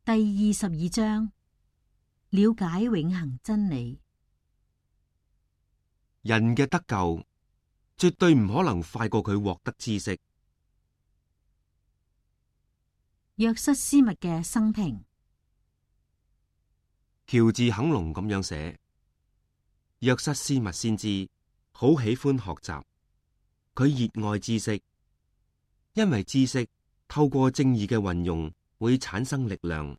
第22章，了解永恆真理。人嘅得救絕對唔可能快過佢獲得知識。約瑟斯密嘅生平。喬治肯隆咁樣寫：約瑟斯密先知好喜歡學習，佢熱愛知識，因為知識透過正義嘅運用會產生力量。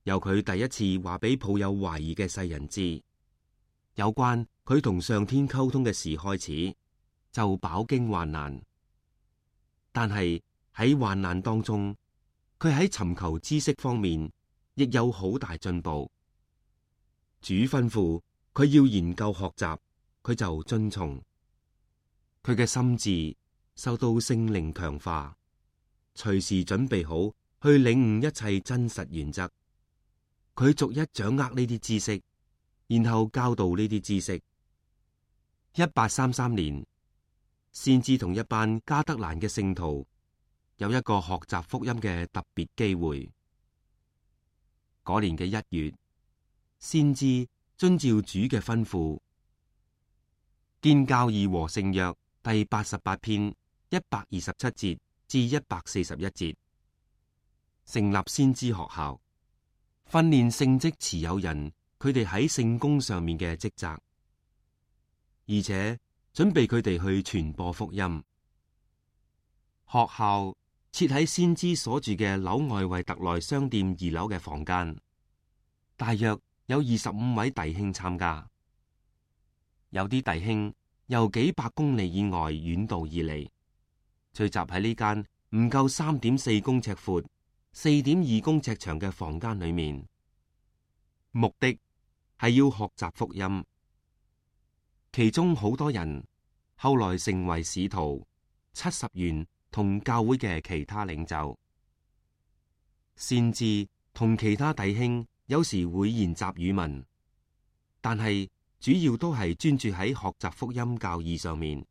由佢第一次話俾抱有懷疑嘅世人知，有關佢同上天溝通嘅事開始，就飽經患難。但係喺患難當中，佢喺尋求知識方面亦有好大進步。主吩咐佢要研究學習，佢就遵從。佢嘅心智受到聖靈強化，隨時準備好去領悟一切真實原則。佢逐一掌握呢啲知識，然後教導呢啲知識。1833年，先知同一班加德蘭嘅聖徒有一個學習福音嘅特別機會。嗰年嘅1月，先知遵照主嘅吩咐，見教義和聖約第88篇127節至141節，成立先知學校，訓練聖職持有人佢哋喺聖工上面嘅職責，而且準備佢哋去傳播福音。學校設喺先知所住嘅紐愛維特內商店2樓嘅房間，大約有25位弟兄參加。有啲弟兄由幾百公里以外遠道而嚟，聚集喺呢間唔夠3.4公尺闊、4.2公尺長嘅房間裏面，目的係要學習福音。其中好多人後來成為使徒、70員同教會嘅其他領袖。先知同其他弟兄有時會研習語文，但係主要都係專注喺學習福音教義上面。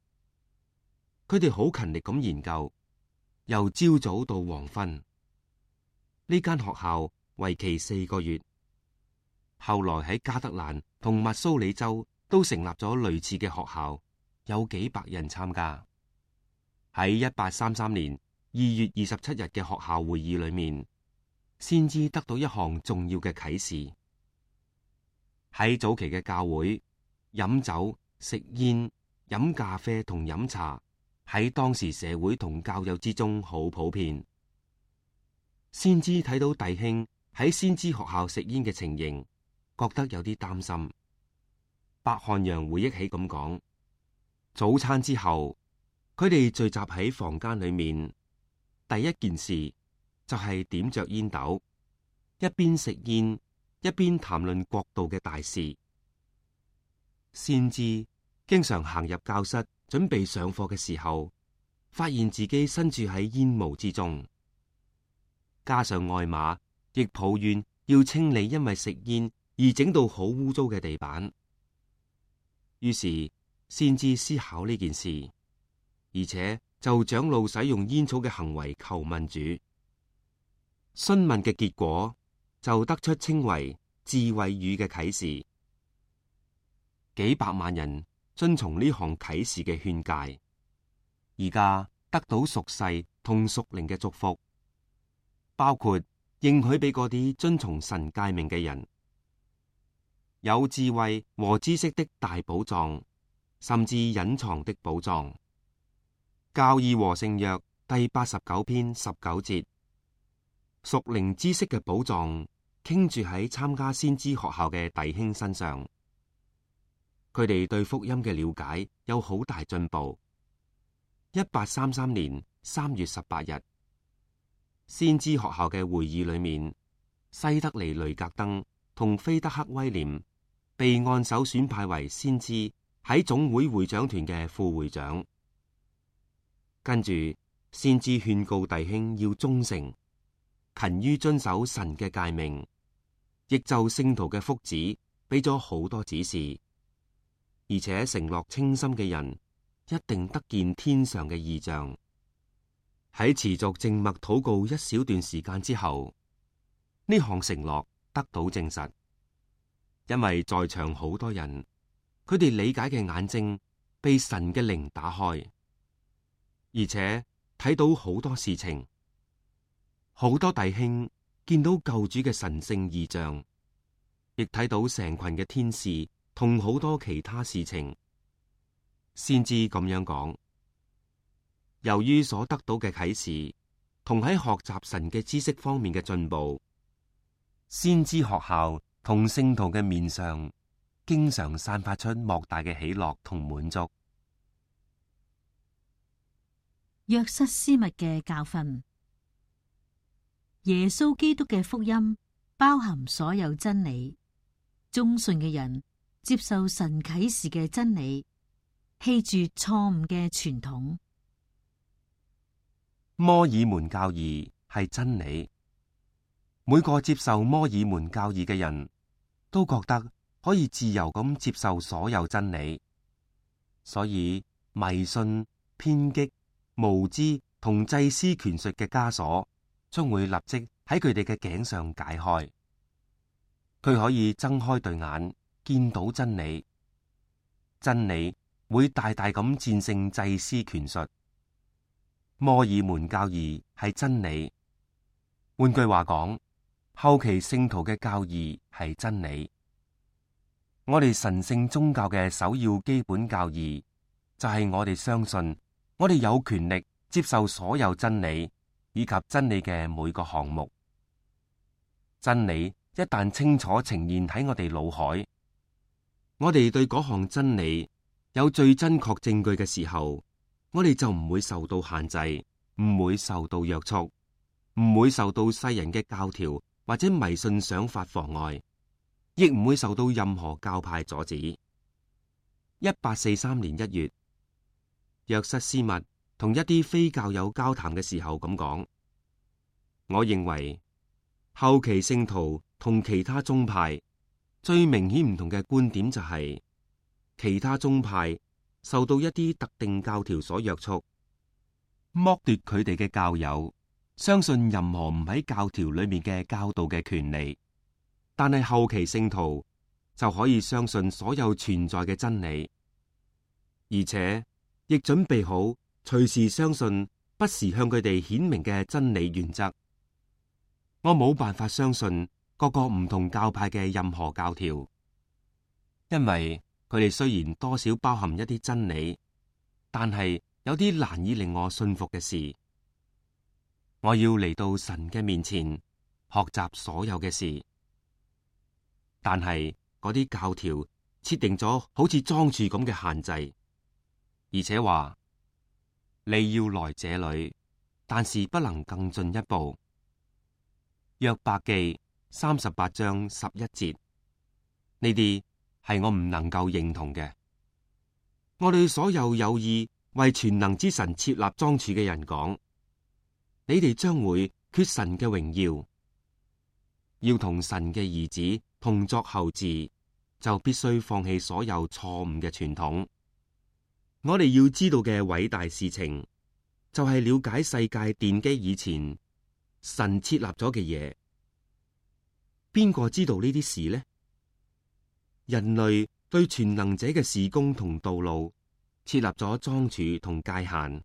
佢哋好勤力咁研究，由朝早到黃昏。呢間學校為期4個月，後來喺加德蘭同密蘇里州都成立咗類似嘅學校，有幾百人參加。喺1833年2月27日嘅學校會議裏面，先知得到一項重要嘅啟示。喺早期嘅教會，飲酒、食煙、飲咖啡同飲茶喺當時社會同教友之中好普遍。先知睇到弟兄喺先知學校食煙嘅情形，覺得有啲擔心。白漢陽回憶起咁講：早餐之後，佢哋聚集喺房間裏面，第一件事就係點着煙斗，一邊食煙一邊談論國度嘅大事。先知經常行入教室準備上課嘅時候，發現自己身處喺煙霧之中。加上愛馬亦抱怨要清理因為食煙而整到好污糟嘅地板，於是先知思考呢件事，而且就長老使用煙草嘅行為求問主。詢問嘅結果就得出稱為智慧語嘅啟示。幾百萬人遵從呢項啟示嘅勸誡，而家得到屬世同屬靈嘅祝福，包括應許俾嗰啲遵從神誡命嘅人，有智慧和知識的大寶藏，甚至隱藏的寶藏。教義和聖約第89篇19節，屬靈知識嘅寶藏傾注喺參加先知學校嘅弟兄身上，佢哋對福音嘅了解有好大進步。1833年3月18日，先知學校嘅會議裏面，西德尼雷格登同菲德克威廉被按手選派為先知喺總會會長團嘅副會長。跟住，先知勸告弟兄要忠誠，勤於遵守神嘅誡命，亦就聖徒嘅福祉俾咗好多指示，而且承諾清心嘅人一定得見天上嘅異象。喺持續靜默禱告一小段時間之後，呢項承諾得到證實，因為在場好多人，佢哋理解嘅眼睛被神嘅靈打開，而且睇到好多事情。好多弟兄見到救主嘅神聖異象，亦睇到成群嘅天使同好多其他事情，先知咁樣講。由於所得到嘅啟示同喺學習神嘅知識方面嘅進步，先知學校同聖徒嘅面上經常散發出莫大嘅喜樂同滿足。約瑟斯密嘅教訓。耶穌基督嘅福音包含所有真理，忠信嘅人接受神啟示嘅真理，棄絕錯誤嘅傳統。摩爾門教義係真理，每個接受摩爾門教義嘅人都覺得可以自由咁接受所有真理，所以迷信、偏激、無知同祭司權術嘅枷鎖將會立即喺佢哋嘅頸上解開，佢可以睜開對眼見到真理，真理會大大咁戰勝祭司權術。摩爾門教義係真理，換句話講，後期聖徒嘅教義係真理。我哋神聖宗教嘅首要基本教義就係我哋相信，我哋有權力接受所有真理以及真理嘅每個項目。真理一旦清楚呈現喺我哋腦海，我哋對嗰項真理有最真確證據嘅時候，我哋就唔會受到限制，唔會受到約束，唔會受到世人嘅教條或者迷信想法妨礙，亦唔會受到任何教派阻止。1843年1月，約瑟斯密同一啲非教友交談嘅時候咁講：我認為後期聖徒同其他宗派最明顯唔同嘅觀點就係，其他宗派受到一啲特定教條所約束，剝奪佢哋嘅教友相信任何唔喺教條裏面嘅教導嘅權利。但係後期聖徒就可以相信所有存在嘅真理，而且亦準備好隨時相信不時向佢哋顯明嘅真理原則。我冇辦法相信各個唔同教派嘅任何教條，因為佢哋雖然多少包含一啲真理，但係有啲難以令我信服嘅事。我要嚟到神嘅面前學習所有嘅事，但係嗰啲教條設定咗好似裝住咁嘅限制，而且話你要來這裏，但是不能更進一步。約伯記38章11節，呢啲係我唔能夠認同嘅。我對所有有意為全能之神設立樁柱嘅人講，你哋將會缺神嘅榮耀。要同神嘅兒子同作後嗣，就必須放棄所有錯誤嘅傳統。我哋要知道嘅偉大事情，就係了解世界奠基以前神設立咗嘅嘢。邊個知道呢啲事呢？人類對全能者嘅事工同道路設立咗樁柱同界限，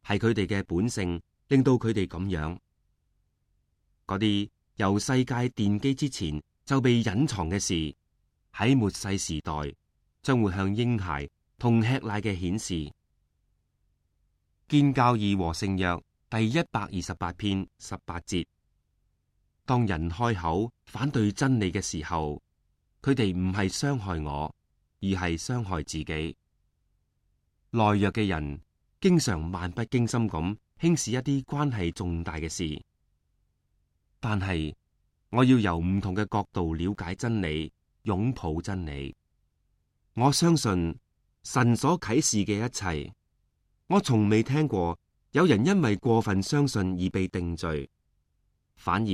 係佢哋嘅本性令到佢哋咁樣。嗰啲由世界奠基之前就被隱藏嘅事，喺末世時代將會向嬰孩同吃奶嘅顯示。建教義和聖約第128篇18節。當人開口反對真理嘅時候，佢哋唔係傷害我，而係傷害自己。懦弱嘅人經常漫不經心咁輕視一啲關係重大嘅事，但係我要由唔同嘅角度了解真理，擁抱真理。我相信神所啟示嘅一切。我從未聽過有人因為過分相信而被定罪，反而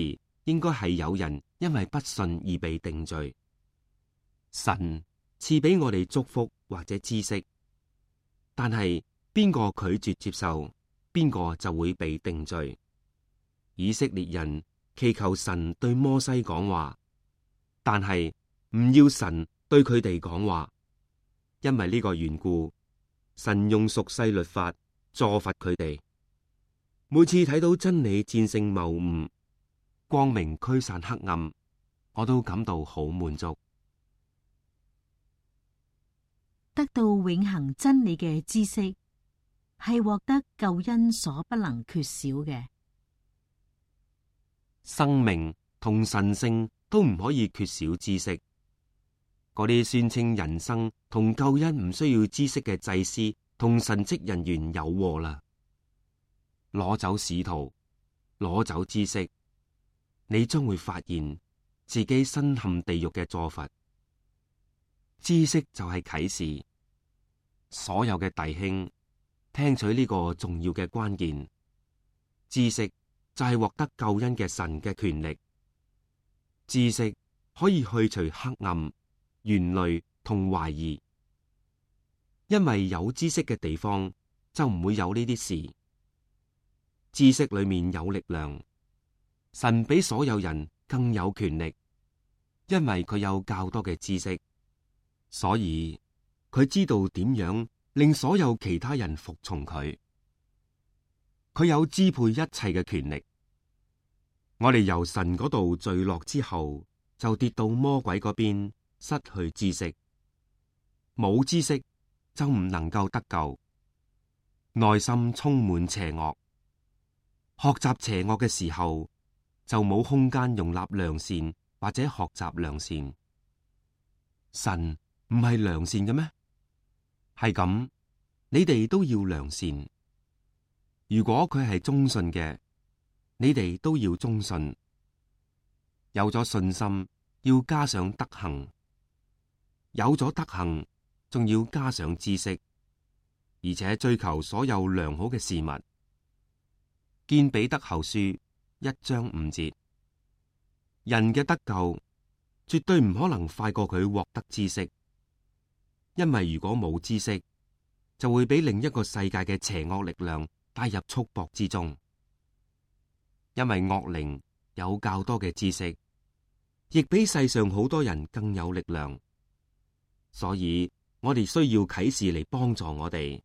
應該係有人因為不信而被定罪。神賜俾我哋祝福或者知識，但係邊個拒絕接受，邊個就會被定罪。以色列人祈求神對摩西講話，但係唔要神對佢哋講話，因為呢個緣故，神用屬世律法助罰佢哋。每次睇到真理戰勝謬誤，光明驅散黑暗，我都感到好滿足。得到永恆真理嘅知識，係獲得救恩所不能缺少嘅。生命同神性都唔可以缺少知識。嗰啲宣稱人生同救恩唔需要知識嘅祭司同神職人員有禍啦！攞走使徒，攞走知識，你將會發現自己身陷地獄嘅坐罰。知識就係啟示，所有嘅弟兄聽取呢個重要嘅關鍵。知識就係獲得救恩嘅神嘅權力。知識可以去除黑暗、懸慮同懷疑，因為有知識嘅地方就唔會有呢啲事。知識裏面有力量，神比所有人更有權力，因為佢有較多嘅知識，所以佢知道點樣令所有其他人服從佢。佢有支配一切嘅權力。我哋由神嗰度墜落之後，就跌到魔鬼嗰邊，失去知識。冇知識就唔能夠得救，內心充滿邪惡。學習邪惡嘅時候，就冇空間容納良善或者學習良善。神唔係良善嘅咩？係咁，你哋都要良善。如果佢係忠信嘅，你哋都要忠信。有咗信心，要加上德行；有咗德行，仲要加上知識，而且追求所有良好嘅事物。見彼得後書1章5節，人嘅得救絕對唔可能快過佢獲得知識，因為如果冇知識，就會俾另一個世界嘅邪惡力量帶入束縛之中。因為惡靈有較多嘅知識，亦比世上好多人更有力量，所以我哋需要啟示嚟幫助我哋，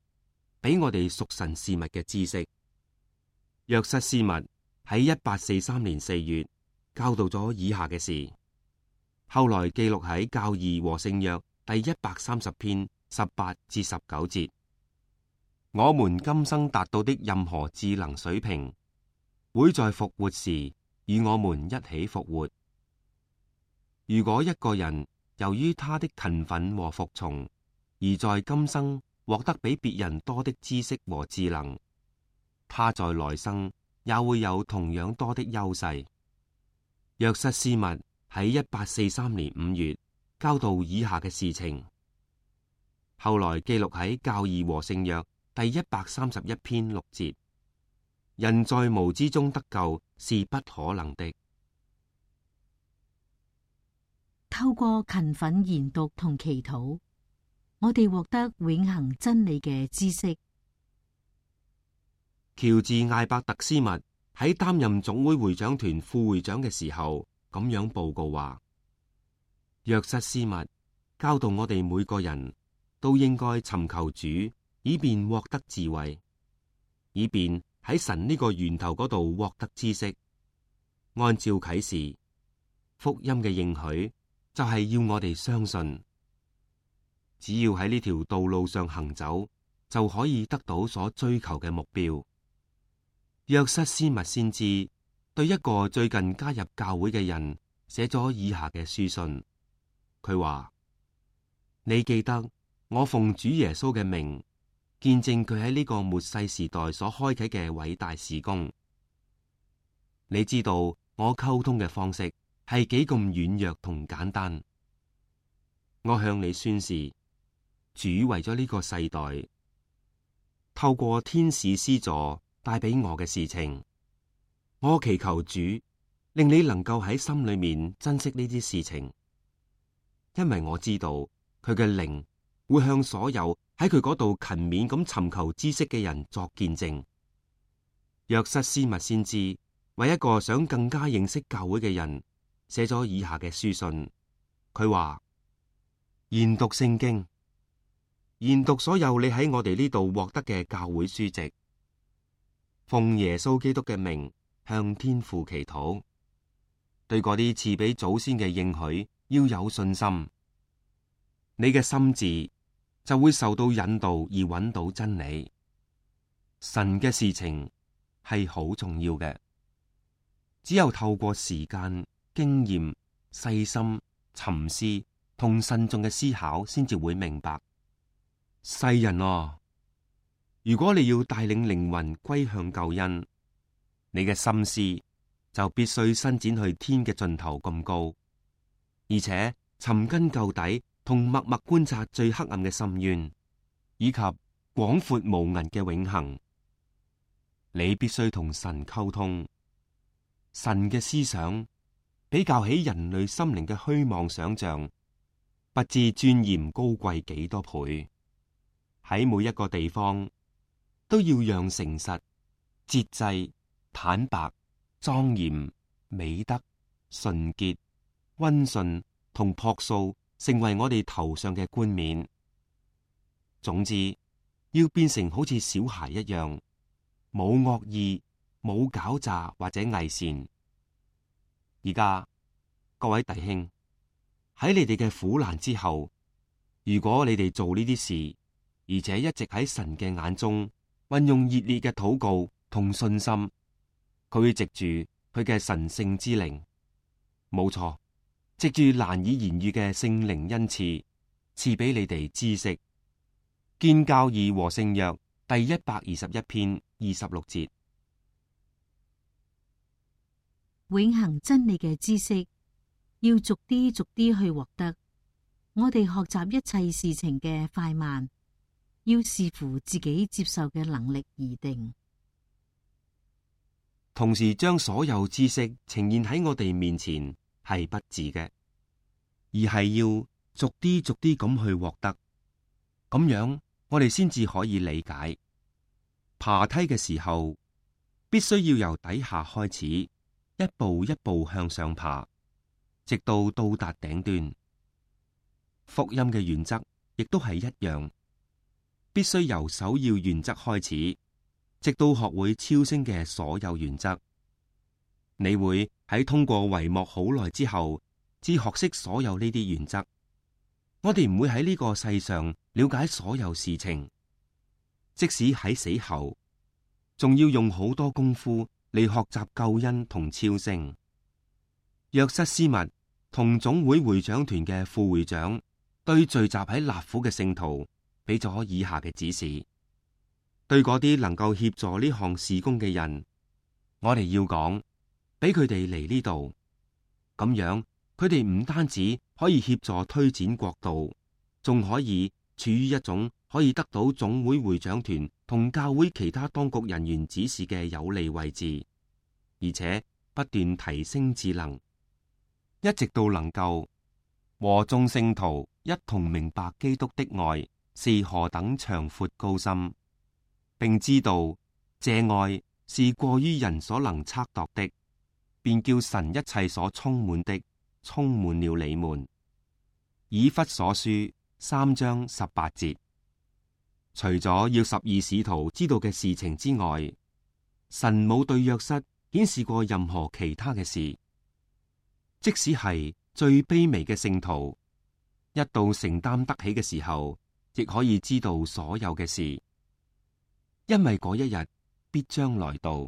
俾我哋屬神事物嘅知識。約瑟斯密喺1843年4月教導咗以下嘅事，後來記錄喺教義和聖約第130篇18至19節。我們今生達到的任何智能水平，會在復活時與我們一起復活。如果一個人由於他的勤奮和服從，而在今生獲得比別人多的知識和智能，他在來生也會有同樣多的優勢。約瑟斯密喺1843年5月教導以下嘅事情，後來記錄喺教義和聖約第131篇6節。人在無知中得救是不可能的。透過勤奮研讀同祈禱，我哋獲得永恆真理嘅知識。喬治艾伯特斯密喺擔任總會會長團副會長嘅時候，咁樣報告話：約瑟斯密教導我哋每個人都應該尋求主，以便獲得智慧，以便喺神呢個源頭嗰度獲得知識。按照啟示，福音嘅應許就係要我哋相信，只要喺呢條道路上行走，就可以得到所追求嘅目標。約瑟斯密先知對一個最近加入教會嘅人寫咗以下嘅書信。佢話：你記得我奉主耶穌嘅名見證佢喺呢個末世時代所開啟嘅偉大事工。你知道我溝通嘅方式係幾咁軟弱同簡單。我向你宣示，主為咗呢個世代，透過天使施助帶俾我嘅事情，我祈求主令你能夠喺心裏面珍惜呢啲事情，因為我知道佢嘅靈會向所有喺佢嗰度勤勉咁尋求知識嘅人作見證。約瑟斯密先知為一個想更加認識教會嘅人寫咗以下嘅書信。佢話：研讀聖經，研讀所有你喺我哋呢度獲得嘅教會書籍，奉耶穌基督嘅名向天父祈禱。對嗰啲賜俾祖先嘅應許要有信心，你嘅心智就會受到引導而揾到真理。神嘅事情係好重要嘅，只有透過時間、經驗、細心、沉思同慎重嘅思考，先至會明白。世人啊，如果你要帶領靈魂歸向救恩，你嘅心思就必須伸展去天嘅盡頭咁高，而且尋根究底，同默默觀察最黑暗嘅深淵，以及廣闊無垠嘅永恆。你必須同神溝通，神嘅思想比較起人類心靈嘅虛妄想象，不知尊嚴高貴幾多倍。喺每一個地方都要讓誠實、節制、坦白、莊嚴、美德、純潔、溫順同樸素成為我哋頭上嘅冠冕。總之，要變成好似小孩一樣，冇惡意、冇狡詐或者偽善。而家各位弟兄，喺你哋嘅苦難之後，如果你哋做呢啲事，而且一直喺神嘅眼中運用熱烈嘅禱告同信心，佢會藉住佢嘅神聖之靈，冇錯，藉住難以言喻嘅聖靈恩賜，賜俾你哋知識。建教義和聖約第121篇26節。永恆真理嘅知識要逐啲逐啲去獲得。我哋學習一切事情嘅快慢，要視乎自己接受嘅能力而定。同時將所有知識呈現喺我哋面前係不智嘅，而係要逐啲逐啲咁去獲得。咁樣我哋先至可以理解。爬梯嘅時候，必須要由底下開始，一步一步向上爬，直到到達頂端。福音嘅原則亦都係一樣，必須由首要原則開始，直到學會超升嘅所有原則。你會喺通過帷幕好耐之後，至學識所有呢啲原則。我哋唔會喺呢個世上了解所有事情，即使喺死後，仲要用好多功夫嚟學習救恩同超升。約瑟斯密同總會會長團嘅副會長對聚集喺納府嘅聖徒俾咗以下嘅指示：對嗰啲能夠協助呢項事工嘅人，我哋要講，俾佢哋嚟呢度，咁樣佢哋唔單止可以協助推展國度，仲可以處於一種可以得到總會會長團同教會其他當局人員指示嘅有利位置，而且不斷提升智能，一直到能夠和眾聖徒一同明白基督的愛是何等長闊高深，並知道這愛是過於人所能測度的，便叫神一切所充滿的充滿了你們。以弗所書3章18節。除咗要12使徒知道嘅事情之外，神冇對約瑟顯示過任何其他嘅事。即使係最卑微嘅聖徒，一到承擔得起嘅時候，亦可以知道所有嘅事，因為嗰一日必將來到。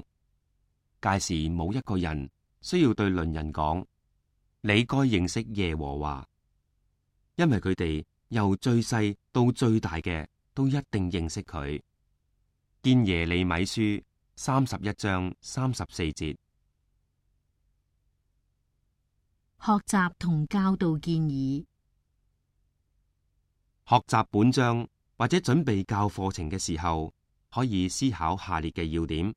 屆時冇一個人需要對鄰人講，你該認識耶和華，因為佢哋由最細到最大嘅都一定認識佢。見耶利米書31章34節。學習同教導建議。學習本章或者準備教課程嘅時候，可以思考下列嘅要點，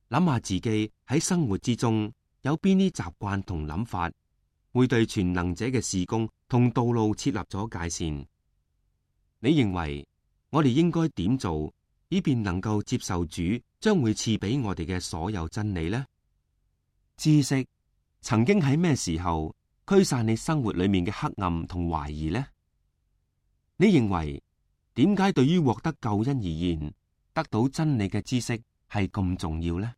諗下自己喺生活之中有邊啲習慣同諗法，會對全能者嘅事工同道路設立咗界線。你認為我哋應該點做，以便能夠接受主將會賜俾我哋嘅所有真理呢？知識曾經喺咩時候驅散你生活裏面嘅黑暗同懷疑呢？你認為點解對於獲得救恩而言，得到真理嘅知識係咁重要呢？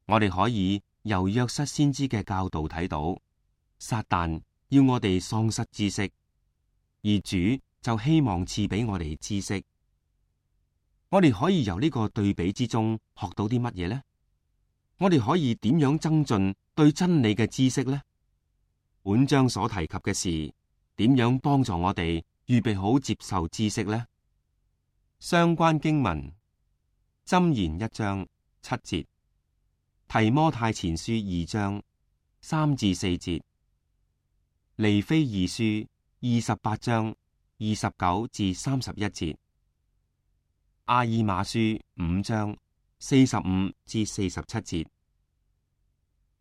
我哋可以由約瑟先知嘅教導睇到，撒旦要我哋喪失知識，而主就希望賜俾我哋知識。我哋可以由呢個對比之中學到啲乜嘢呢？我哋可以點樣增進對真理嘅知識呢？本章所提及嘅事，點樣幫助我哋預備好接受知識呢？相關經文：箴言1章7節，提摩太前書2章3至4節，尼非二書28章29至31節，阿爾瑪書5章45至47節，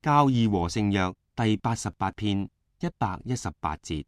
教義和聖約第88篇118節。